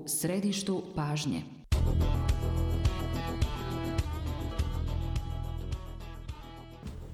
središtu pažnje.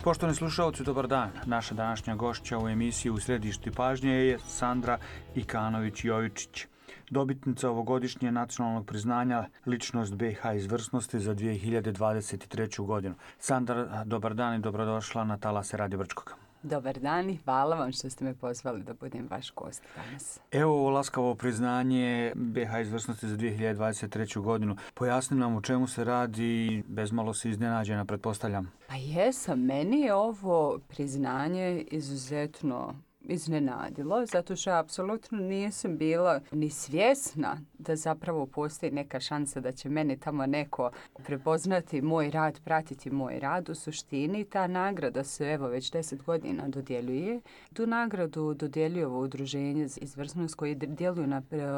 Poštovani slušalci, dobar dan. Naša današnja gošća u emisiji U središtu pažnje je Sandra Ikanović-Jovičić, dobitnica ovogodišnje nacionalnog priznanja Ličnost BiH izvrsnosti za 2023. godinu. Sandra, dobar dan i dobrodošla na talase Radio Brčkog. Dobar dan i hvala vam što ste me pozvali da budem vaš gost danas. Evo ovo laskavo priznanje BiH izvrsnosti za 2023. godinu. Pojasni nam o čemu se radi, bezmalo si iznenađena, pretpostavljam. Pa jesam, meni je ovo priznanje izuzetno iznenadilo, zato što apsolutno nisam bila ni svjesna da zapravo postoji neka šansa da će meni tamo neko prepoznati moj rad, pratiti moj rad. U suštini ta nagrada se evo već 10 godina dodjeljuje. Tu nagradu dodjeljuje ovo udruženje za izvrsnost koji djeluju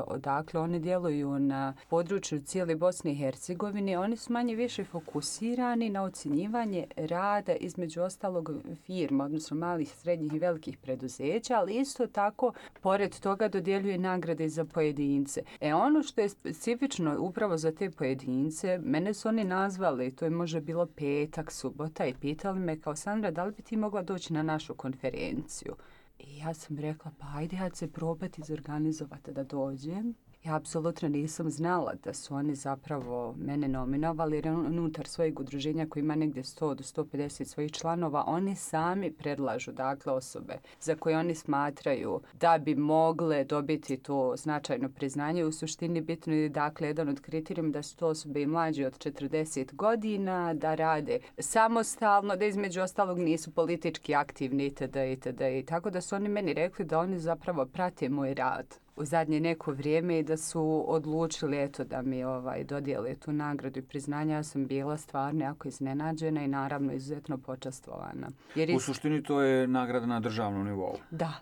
odakle oni djeluju na području cijele Bosne i Hercegovine. Oni su manje više fokusirani na ocjenjivanje rada između ostalog firma, odnosno malih, srednjih i velikih preduzeća, ali isto tako, pored toga dodjeljuje nagrade za pojedince. Ono što je specifično upravo za te pojedince, mene su oni nazvali, to je možda bilo petak, subota, i pitali me kao Sandra, da li bi ti mogla doći na našu konferenciju? I ja sam rekla, pa ajde ja se probati izorganizovati da dođem. Ja apsolutno nisam znala da su oni zapravo mene nominovali, jer unutar svojeg udruženja koji ima negdje 100 do 150 svojih članova, oni sami predlažu dakle osobe za koje oni smatraju da bi mogle dobiti to značajno priznanje. U suštini bitno je dakle jedan od kriterijuma da su to osobe i mlađe od 40 godina, da rade samostalno, da između ostalog nisu politički aktivni itd. I tako da su oni meni rekli da oni zapravo prate moj rad u zadnje neko vrijeme i da su odlučili da mi dodijele tu nagradu i priznanja. Ja sam bila stvarno jako iznenađena i naravno izuzetno počastvovana. U suštini to je nagrada na državnom nivou. Da.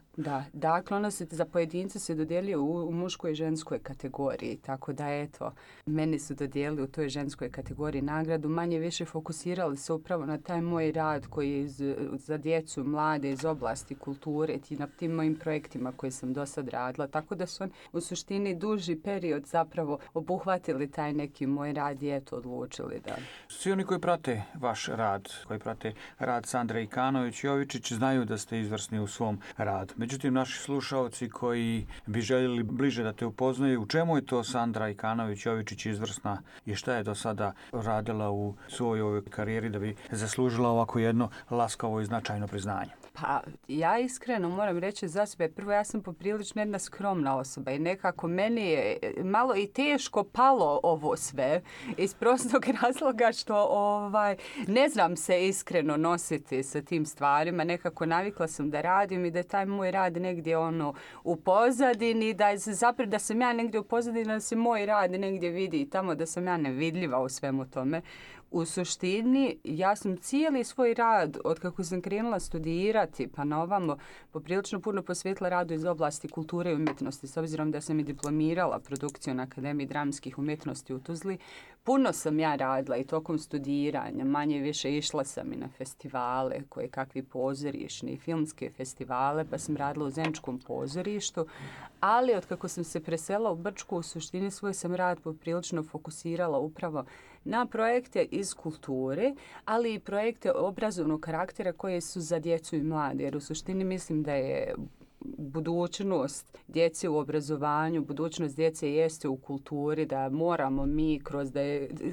Dakle, ona se za pojedince se dodjeljuje u muškoj i ženskoj kategoriji, tako da meni su dodijelili u toj ženskoj kategoriji nagradu. Manje više fokusirali se upravo na taj moj rad koji je za djecu, mlade iz oblasti kulture i na tim mojim projektima koje sam do sad radila, tako da su oni u suštini duži period zapravo obuhvatili taj neki moj rad i odlučili da. Svi oni koji prate vaš rad, koji prate rad Sandre Ikanović-Jovičić znaju da ste izvrsni u svom radu. Međutim, naši slušaoci koji bi željeli bliže da te upoznaju, u čemu je to Sandra Ikanović-Jovičić izvrsna i šta je do sada radila u svojoj karijeri da bi zaslužila ovako jedno laskavo i značajno priznanje? Pa ja iskreno moram reći za sebe, prvo ja sam poprilično jedna skromna osoba i nekako meni je malo i teško palo ovo sve iz prostog razloga što ne znam se iskreno nositi sa tim stvarima. Nekako navikla sam da radim i da je taj moj rad negdje u pozadini, da sam ja negdje u pozadini, da se moj rad negdje vidi i tamo da sam ja nevidljiva u svemu tome. U suštini, ja sam cijeli svoj rad, od kako sam krenula studirati, pa na ovamo, poprilično puno posvetila radu iz oblasti kulture i umjetnosti, s obzirom da sam i diplomirala produkciju na Akademiji dramskih umjetnosti u Tuzli. Puno sam ja radila i tokom studiranja, manje više išla sam i na festivale, koje kakvi pozorišni, filmske festivale, pa sam radila u Zeničkom pozorištu, ali od kako sam se preselila u Brčku, u suštini svoj sam rad poprilično fokusirala upravo na projekte iz kulture, ali i projekte obrazovnog karaktera koje su za djecu i mlade, jer u suštini mislim da je budućnost djece u obrazovanju, budućnost djece jeste u kulturi, da moramo mi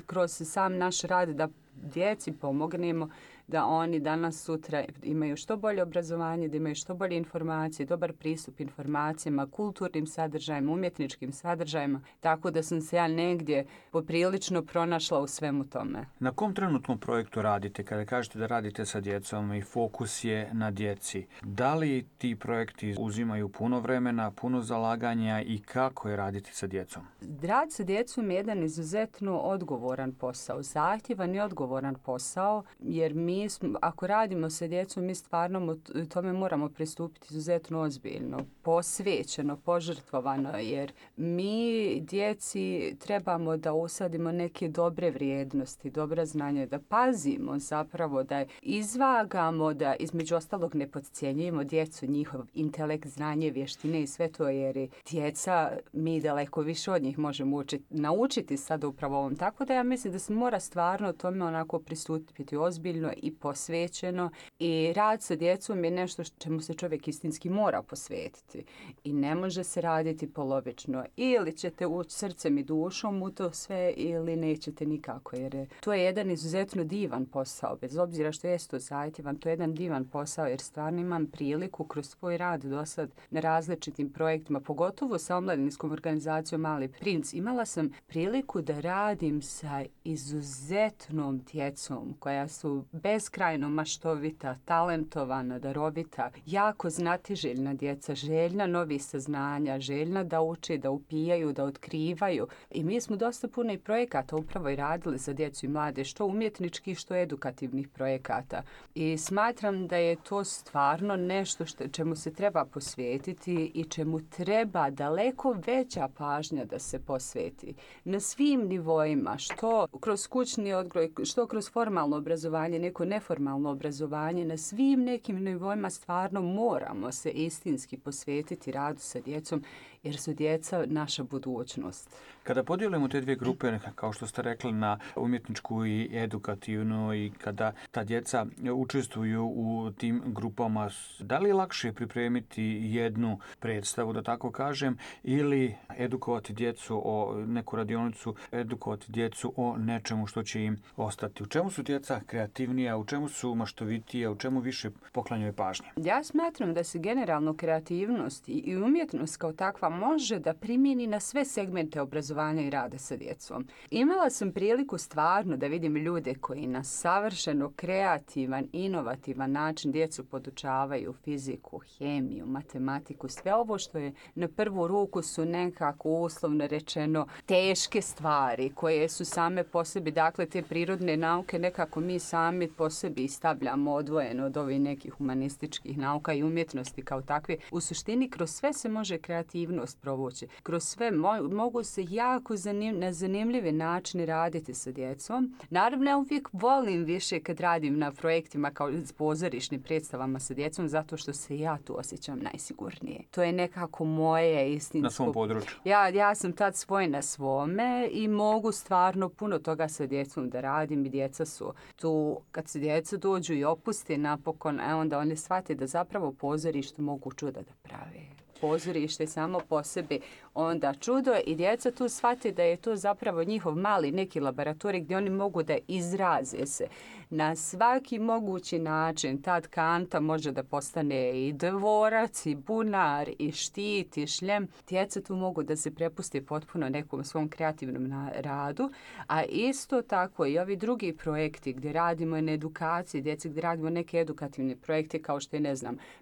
kroz sam naš rad da djeci pomognemo da oni danas sutra imaju što bolje obrazovanje, da imaju što bolje informacije, dobar pristup informacijama, kulturnim sadržajima, umjetničkim sadržajima, tako da sam se ja negdje poprilično pronašla u svemu tome. Na kom trenutnom projektu radite? Kada kažete da radite sa djecom i fokus je na djeci, da li ti projekti uzimaju puno vremena, puno zalaganja i kako je raditi sa djecom? Rad sa djecom je jedan izuzetno odgovoran posao, zahtjevan i odgovoran posao, jer mi ako radimo sa djecom, mi stvarno tome moramo pristupiti izuzetno ozbiljno, posvećeno, požrtvovano, jer mi djeci trebamo da usadimo neke dobre vrijednosti, dobra znanja, da pazimo zapravo, da izvagamo, da između ostalog ne podcjenjujemo djecu, njihov intelekt, znanje, vještine i sve to, jer djeca, mi daleko više od njih možemo naučiti sad upravo ovom. Tako da ja mislim da se mora stvarno tome onako pristupiti ozbiljno i posvećeno, i rad sa djecom je nešto čemu se čovjek istinski mora posvetiti i ne može se raditi polovično. Ili ćete ući srcem i dušom u to sve ili nećete nikako, jer to je jedan izuzetno divan posao, bez obzira što je to zahtjevan, to je jedan divan posao, jer stvarno imam priliku kroz svoj rad do sad na različitim projektima, pogotovo sa omladinskom organizacijom Mali princ. Imala sam priliku da radim sa izuzetnom djecom koja su beskrajno maštovita, talentovana, darovita, jako znatiželjna djeca, željna novih saznanja, željna da uče, da upijaju, da otkrivaju. I mi smo dosta puno i projekata upravo i radili za djecu i mlade, što umjetničkih, što edukativnih projekata. I smatram da je to stvarno nešto čemu se treba posvetiti i čemu treba daleko veća pažnja da se posveti. Na svim nivoima, što kroz kućni odgoj, što kroz formalno obrazovanje, neko neformalno obrazovanje, na svim nekim nivoima stvarno moramo se istinski posvetiti radu sa djecom, jer su djeca naša budućnost. Kada podijelimo te dvije grupe, kao što ste rekli, na umjetničku i edukativnu, i kada ta djeca učestvuju u tim grupama, da li je lakše pripremiti jednu predstavu, da tako kažem, ili edukovati djecu o neku radionicu, edukovati djecu o nečemu što će im ostati? U čemu su djeca kreativnija, u čemu su maštovitija, u čemu više poklanjaju pažnje? Ja smatram da se generalno kreativnost i umjetnost kao takva može da primjeni na sve segmente obrazovanja i rada sa djecom. Imala sam priliku stvarno da vidim ljude koji na savršeno kreativan, inovativan način djecu podučavaju fiziku, hemiju, matematiku, sve ovo što je na prvu ruku su nekako uslovno rečeno teške stvari koje su same po sebi, dakle te prirodne nauke nekako mi sami po sebi stavljamo odvojeno od ovih nekih humanističkih nauka i umjetnosti kao takve. U suštini kroz sve se može kreativnost provući. Kroz sve mogu se jako na zanimljivi način raditi sa djecom. Naravno, ja uvijek volim više kad radim na projektima kao pozorišnim predstavama sa djecom, zato što se ja tu osjećam najsigurnije. To je nekako moje istinsko... Na svom području. Ja sam tad svoj na svome i mogu stvarno puno toga sa djecom da radim, i djeca su tu, kad se djeca dođu i opuste napokon, onda oni shvate da zapravo pozorište mogu čuda da prave. Pozorište samo po sebi onda čudo, i djeca tu shvate da je to zapravo njihov mali neki laboratorij gdje oni mogu da izraze se na svaki mogući način. Tad kanta može da postane i dvorac, i bunar, i štit, i šljem. Djeca tu mogu da se prepuste potpuno nekom svom kreativnom radu, a isto tako i ovi drugi projekti gdje radimo na edukaciji djece, gdje radimo neke edukativne projekte kao što je,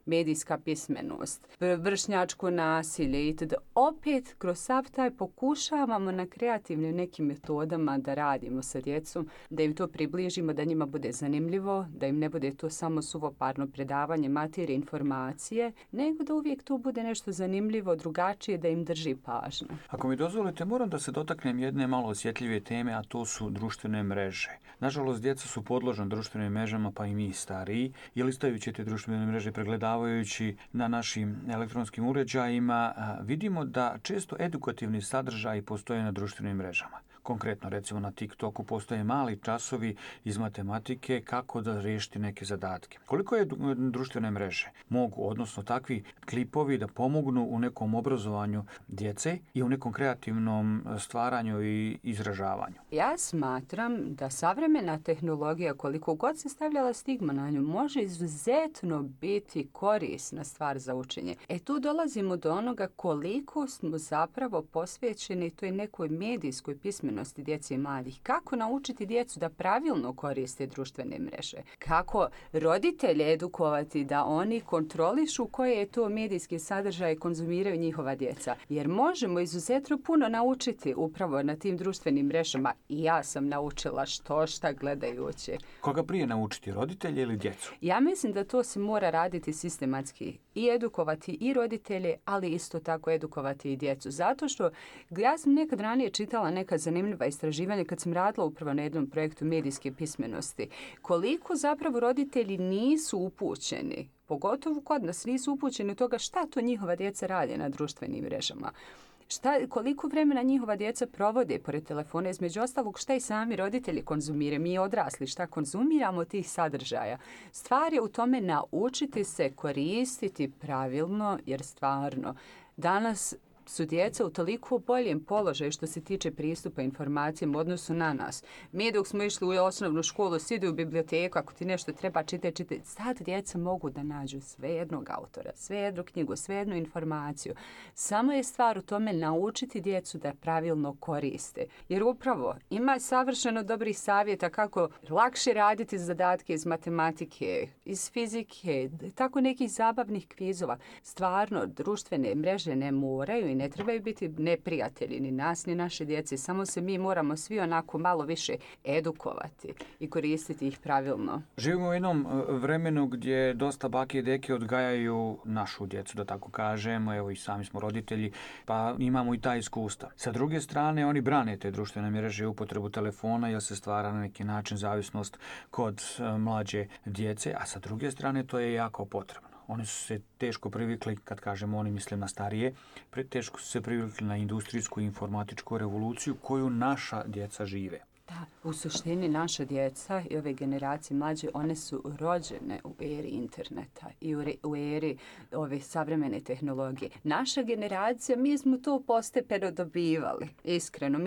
medijska pismenost, vršnjačko nasilje itd. Opet kroz sav taj pokušavamo na kreativnim nekim metodama da radimo sa djecom, da im to približimo, da njima bude zanimljivo, da im ne bude to samo suvoparno predavanje materije, informacije, nego da uvijek to bude nešto zanimljivo, drugačije, da im drži pažnju. Ako mi dozvolite, moram da se dotaknem jedne malo osjetljive teme, a to su društvene mreže. Nažalost, djeca su podložna društvenim mrežama, pa i mi stariji, i listajući te društvene mreže, pregledavajući na našim elektronskim uređajima, vidimo da često edukativni sadržaji postoje na društvenim mrežama. Konkretno, recimo na TikToku postoje mali časovi iz matematike kako da riješiti neke zadatke. Koliko je društvene mreže mogu, odnosno takvi klipovi, da pomognu u nekom obrazovanju djece i u nekom kreativnom stvaranju i izražavanju? Ja smatram da savremena tehnologija, koliko god se stavljala stigma na nju, može izuzetno biti korisna stvar za učenje. Tu dolazimo do onoga koliko smo zapravo posvećeni toj nekoj medijskoj pismenosti pismenosti djece i mladih. Kako naučiti djecu da pravilno koriste društvene mreže? Kako roditelje edukovati da oni kontrolišu koje je to medijski sadržaj konzumiraju njihova djeca? Jer možemo izuzetno puno naučiti upravo na tim društvenim mrežama. I ja sam naučila šta gledajući. Koga prije naučiti, roditelje ili djecu? Ja mislim da to se mora raditi sistematski i edukovati i roditelje, ali isto tako edukovati i djecu. Zato što ja sam nekad ranije čitala neka zanimljiva istraživanja kad sam radila upravo na jednom projektu medijske pismenosti. Koliko zapravo roditelji nisu upućeni, pogotovo kod nas nisu upućeni u toga šta to njihova djeca rade na društvenim mrežama. Koliko vremena njihova djeca provode pored telefona, između ostalog šta i sami roditelji konzumiraju, mi odrasli, šta konzumiramo od tih sadržaja. Stvar je u tome naučiti se koristiti pravilno, jer stvarno danas su djeca u toliko boljem položaju što se tiče pristupa informacijama u odnosu na nas. Mi dok smo išli u osnovnu školu, sidi u biblioteku, ako ti nešto treba čitaj. Sad djeca mogu da nađu sve jednog autora, sve jednu knjigu, sve jednu informaciju. Samo je stvar u tome naučiti djecu da pravilno koriste. Jer upravo ima savršeno dobrih savjeta kako lakše raditi zadatke iz matematike, iz fizike, tako nekih zabavnih kvizova. Stvarno, društvene mreže ne moraju i ne trebaju biti neprijatelji ni nas ni naše djece, samo se mi moramo svi onako malo više edukovati i koristiti ih pravilno. Živimo u jednom vremenu gdje dosta bake i deke odgajaju našu djecu, da tako kažemo, evo i sami smo roditelji, pa imamo i ta iskustva. Sa druge strane, oni brane te društvene mreže i upotrebu telefona jer se stvara na neki način zavisnost kod mlađe djece, a sa druge strane to je jako potrebno. Oni su se teško privikli, kad kažemo oni mislim na starije, teško su se privikli na industrijsku i informatičku revoluciju koju naša djeca žive. Da, u suštini naša djeca i ove generacije mlađe, one su rođene u eri interneta i u eri ove savremene tehnologije. Naša generacija, mi smo to postepeno dobivali. Iskreno,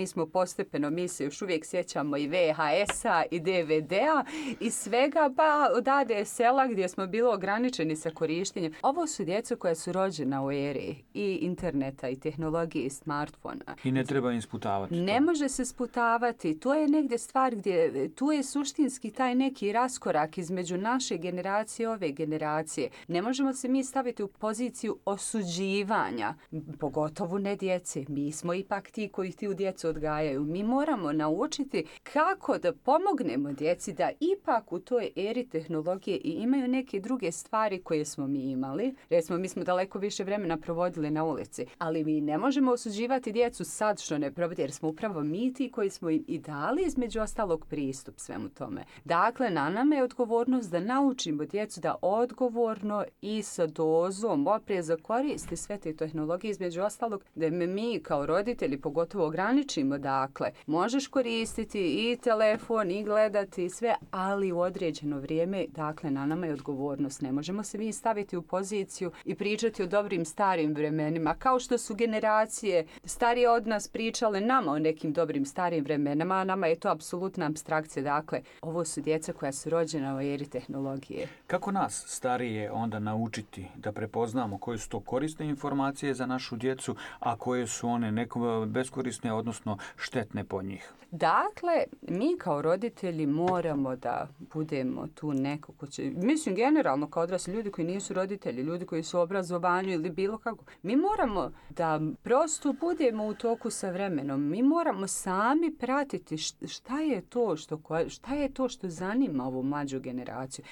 mi se još uvijek sjećamo i VHS-a i DVD-a i svega, pa od ADSL-a gdje smo bili ograničeni sa korištenjem. Ovo su djeca koja su rođena u eri i interneta i tehnologije i smartfona. I ne treba im sputavati. Ne može se sputavati. To je negdje stvar gdje tu je suštinski taj neki raskorak između naše generacije i ove generacije. Ne možemo se mi staviti u poziciju osuđivanja, pogotovo ne djece. Mi smo ipak ti koji ti u djecu odgajaju. Mi moramo naučiti kako da pomognemo djeci da ipak u toj eri tehnologije i imaju neke druge stvari koje smo mi imali. Recimo, mi smo daleko više vremena provodili na ulici, ali mi ne možemo osuđivati djecu sad što ne provodi, jer smo upravo mi ti koji smo im i dali između ostalog pristup svemu tome. Dakle, na nama je odgovornost da naučimo djecu da odgovorno i sa dozom opreza koriste sve te tehnologije, između ostalog da mi kao roditelji pogotovo ograničimo. Dakle, možeš koristiti i telefon i gledati i sve, ali u određeno vrijeme, dakle, na nama je odgovornost. Ne možemo se mi staviti u poziciju i pričati o dobrim starim vremenima, kao što su generacije starije od nas pričale nama o nekim dobrim starim vremenima, a nama je to apsolutna apstrakcija. Dakle, ovo su djeca koja su rođena u eri tehnologije. Kako nas starije onda naučiti da prepoznamo koje su to korisne informacije za našu djecu, a koje su one beskorisne, odnosno štetne po njih? Dakle, mi kao roditelji moramo da budemo tu neko ko će, mislim generalno kao odrasli ljudi koji nisu roditelji, ljudi koji su u obrazovanju ili bilo kako, mi moramo da prosto budemo u toku sa vremenom. Mi moramo sami pratiti šta je to što zanima ovu mlađu generaciju.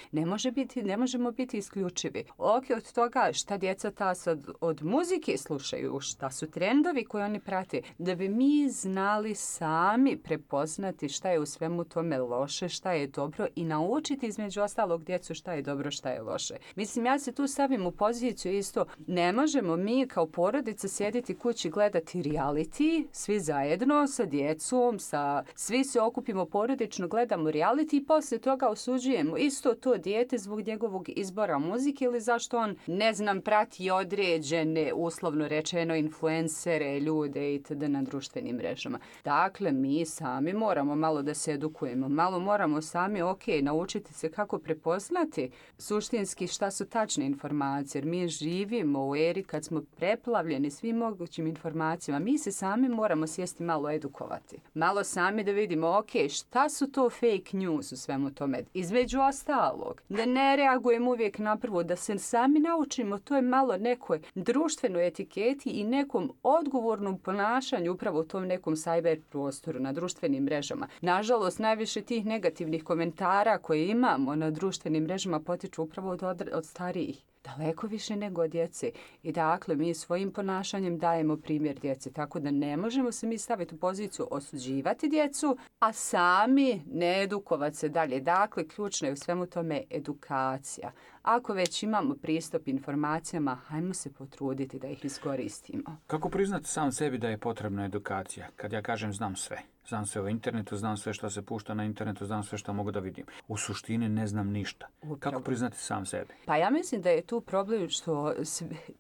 Ne možemo biti isključivi. Od toga šta djeca ta sad od muzike slušaju, šta su trendovi koje oni prate, da bi mi znali sami prepoznati šta je u svemu tome loše, šta je dobro i naučiti između ostalog djecu šta je dobro, šta je loše. Mislim, ja se tu stavim u poziciju isto, ne možemo mi kao porodica sjediti kući gledati reality, svi zajedno sa djecom, sa svim svi se okupimo porodično, gledamo reality i poslije toga osuđujemo isto to dijete zbog njegovog izbora muzike ili zašto on, ne znam, prati određene, uslovno rečeno, influencere, ljude itd. Na društvenim mrežama. Dakle, mi sami moramo malo da se edukujemo, malo moramo sami, naučiti se kako prepoznati suštinski šta su tačne informacije, jer mi živimo u eri kad smo preplavljeni svim mogućim informacijama. Mi se sami moramo sjesti malo edukovati. Malo sami da vidimo, šta su to fake news u svemu tome. Između ostalog, da ne reagujemo uvijek na prvo, da se sami naučimo, to je malo nekoj društvenoj etiketi i nekom odgovornom ponašanju upravo u tom nekom cyber prostoru, na društvenim mrežama. Nažalost, najviše tih negativnih komentara koje imamo na društvenim mrežama potiču upravo od starijih. Daleko više nego od djece. I dakle, mi svojim ponašanjem dajemo primjer djeci. Tako da ne možemo se mi staviti u poziciju osuđivati djecu, a sami ne edukovati se dalje. Dakle, ključno je u svemu tome edukacija. Ako već imamo pristup informacijama, hajmo se potruditi da ih iskoristimo. Kako priznati sam sebi da je potrebna edukacija? Kad ja kažem znam sve. Znam sve o internetu, znam sve što se pušta na internetu, znam sve što mogu da vidim. U suštini ne znam ništa. Upravo. Kako priznati sam sebi? Pa ja mislim da je tu problem što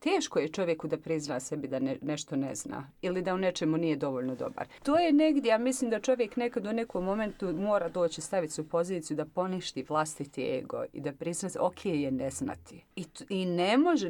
teško je čovjeku da prizna sebi da nešto ne zna ili da u nečemu nije dovoljno dobar. To je negdje, ja mislim da čovjek nekad u nekom momentu mora doći staviti se u poziciju da poništi vlastiti ego i da prizna se, je ne znati. I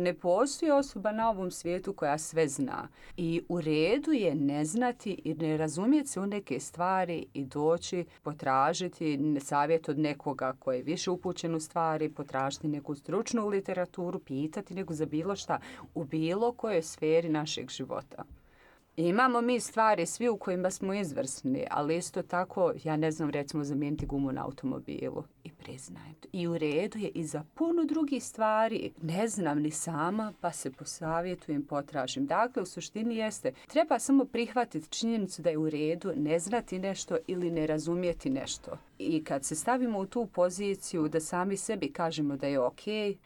ne postoji osoba na ovom svijetu koja sve zna. I u redu je ne znati i ne razumjeti se u neke stvari i doći, potražiti savjet od nekoga koji je više upućen u stvari, potražiti neku stručnu literaturu, pitati nego za bilo šta u bilo kojoj sferi našeg života. Imamo mi stvari svi u kojima smo izvrsni, ali isto tako, ja ne znam, recimo zamijeniti gumu na automobilu i priznajem to. I u redu je i za puno drugih stvari. Ne znam ni sama, pa se posavjetujem, potražim. Dakle, u suštini jeste, treba samo prihvatiti činjenicu da je u redu ne znati nešto ili ne razumjeti nešto. I kad se stavimo u tu poziciju da sami sebi kažemo da je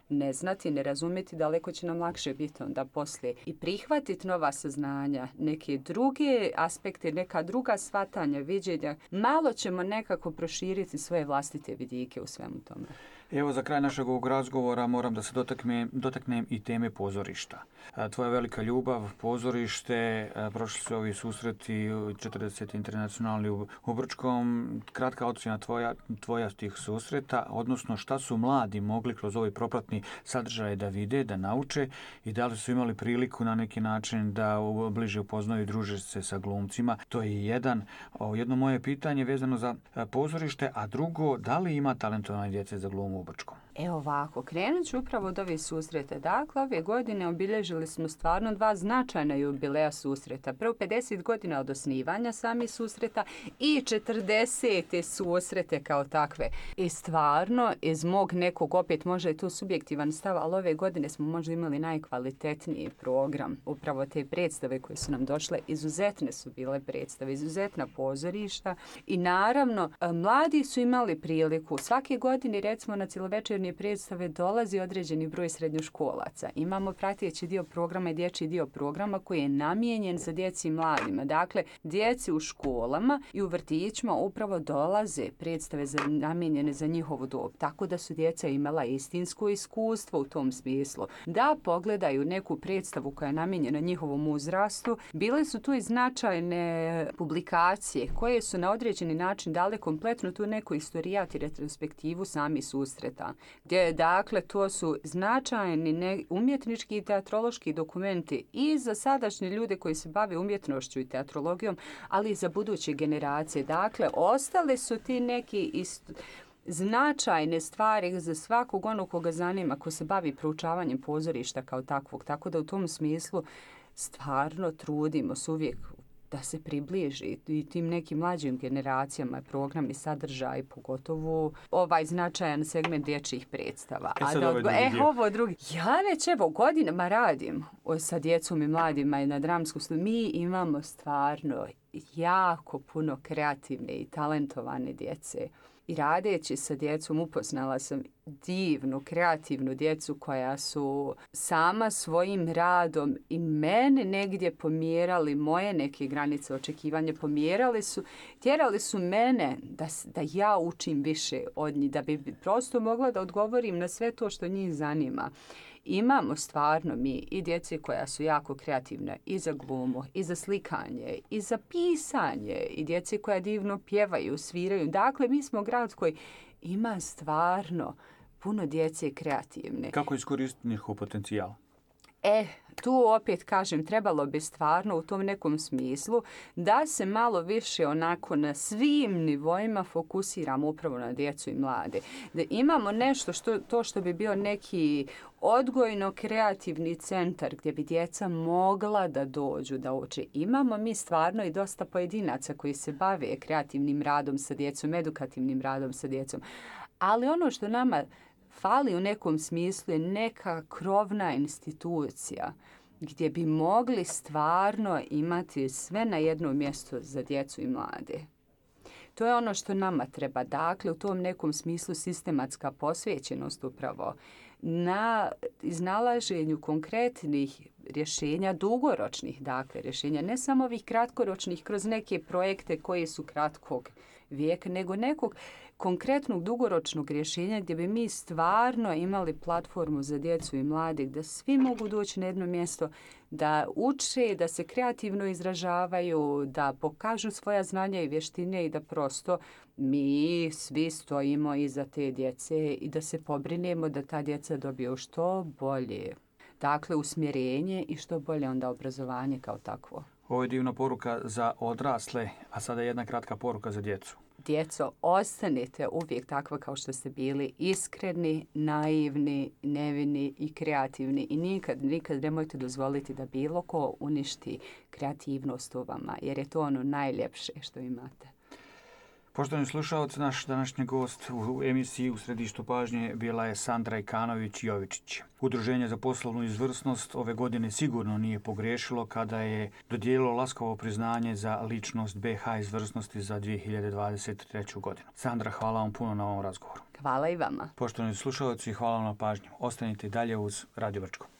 ne znati, ne razumjeti, daleko će nam lakše biti onda poslije. I prihvatiti nova saznanja, neke druge aspekte, neka druga shvatanja, viđenja, malo ćemo nekako proširiti svoje vlastite vidike u svemu tome. Evo, za kraj našeg ovog razgovora moram da se dotaknem i teme pozorišta. Tvoja velika ljubav, pozorište, prošli su ovi susreti 40. internacionalni u Brčkom. Kratka ocjena tvoja tih susreta, odnosno šta su mladi mogli kroz ovaj propratni sadržaj da vide, da nauče i da li su imali priliku na neki način da bliže upoznaju i druže se sa glumcima. To je jedno moje pitanje vezano za pozorište, a drugo, da li ima talentovane djece za glumu u Brčkom? Evo ovako, krenut ću upravo od ovih susreta. Dakle, ove godine obilježili smo stvarno 2 značajna jubileja susreta. Prvo 50 godina od osnivanja samih susreta i 40. susrete kao takve. I stvarno, iz mog nekog, opet možda je to subjektivan stav, ali ove godine smo možda imali najkvalitetniji program. Upravo te predstave koje su nam došle, izuzetne su bile predstave, izuzetna pozorišta. I naravno, mladi su imali priliku. Svake godine, recimo, na cjelovečernje predstave dolazi određeni broj srednjoškolaca. Imamo prateći dio programa i dječji dio programa koji je namijenjen za djeci i mladima. Dakle, djeci u školama i u vrtićima upravo dolaze predstave namijenjene za njihovu dob. Tako da su djeca imala istinsko iskustvo u tom smislu. Da pogledaju neku predstavu koja je namijenjena njihovom uzrastu, bile su tu i značajne publikacije koje su na određeni način dale kompletno tu neku istorijat i retrospektivu sami susreta. Gdje, dakle, to su značajni umjetnički i teatrološki dokumenti i za sadašnje ljude koji se bave umjetnošću i teatrologijom, ali i za buduće generacije. Dakle, ostale su ti neki značajne stvari za svakog onog koga zanima, ko se bavi proučavanjem pozorišta kao takvog. Tako da u tom smislu stvarno trudimo se uvijek da se približi i tim nekim mlađim generacijama program i sadržaj, pogotovo ovaj značajan segment dječjih predstava. Ovo drugi. Ja već godinama radim sa djecom i mladima i na dramsku studiju. Mi imamo stvarno jako puno kreativne i talentovane djece. I radeći sa djecom upoznala sam divnu, kreativnu djecu koja su sama svojim radom i mene negdje pomjerali, moje neke granice očekivanja tjerali su mene da ja učim više od njih, da bi prosto mogla da odgovorim na sve to što njih zanima. Imamo stvarno mi i djece koja su jako kreativne i za glumu, i za slikanje, i za pisanje, i djece koja divno pjevaju, sviraju. Dakle, mi smo grad koji ima stvarno puno djece kreativne. Kako iskoristiti njihov potencijal? Tu opet kažem, trebalo bi stvarno u tom nekom smislu da se malo više onako na svim nivoima fokusiramo upravo na djecu i mlade. Da imamo nešto što bi bio neki odgojno-kreativni centar gdje bi djeca mogla da dođu da uče. Imamo mi stvarno i dosta pojedinaca koji se bave kreativnim radom sa djecom, edukativnim radom sa djecom. Ali ono što nama fali u nekom smislu je neka krovna institucija gdje bi mogli stvarno imati sve na jednom mjestu za djecu i mlade. To je ono što nama treba. Dakle, u tom nekom smislu sistematska posvećenost upravo na iznalaženju konkretnih rješenja, dugoročnih rješenja, ne samo ovih kratkoročnih kroz neke projekte koji su kratkog vijeka, nego nekog konkretnog dugoročnog rješenja gdje bi mi stvarno imali platformu za djecu i mlade, da svi mogu doći na jedno mjesto, da uče, da se kreativno izražavaju, da pokažu svoja znanja i vještine i da prosto mi svi stojimo iza te djece i da se pobrinemo da ta djeca dobiju što bolje. Dakle, usmjerenje i što bolje onda obrazovanje kao takvo. Ovo je divna poruka za odrasle, a sada jedna kratka poruka za djecu. Djeco, ostanite uvijek takva kao što ste bili, iskreni, naivni, nevini i kreativni i nikad nemojte dozvoliti da bilo ko uništi kreativnost u vama, jer je to ono najljepše što imate. Poštovani slušalci, naš današnji gost u emisiji U središtu pažnje bila je Sandra Ikanović-Jovičić. Udruženje za poslovnu izvrsnost ove godine sigurno nije pogriješilo kada je dodijelilo laskavo priznanje za ličnost BH izvrsnosti za 2023. godinu. Sandra, hvala vam puno na ovom razgovoru. Hvala i vama. Poštovani slušalci, hvala vam na pažnju. Ostanite dalje uz Radio Brčko.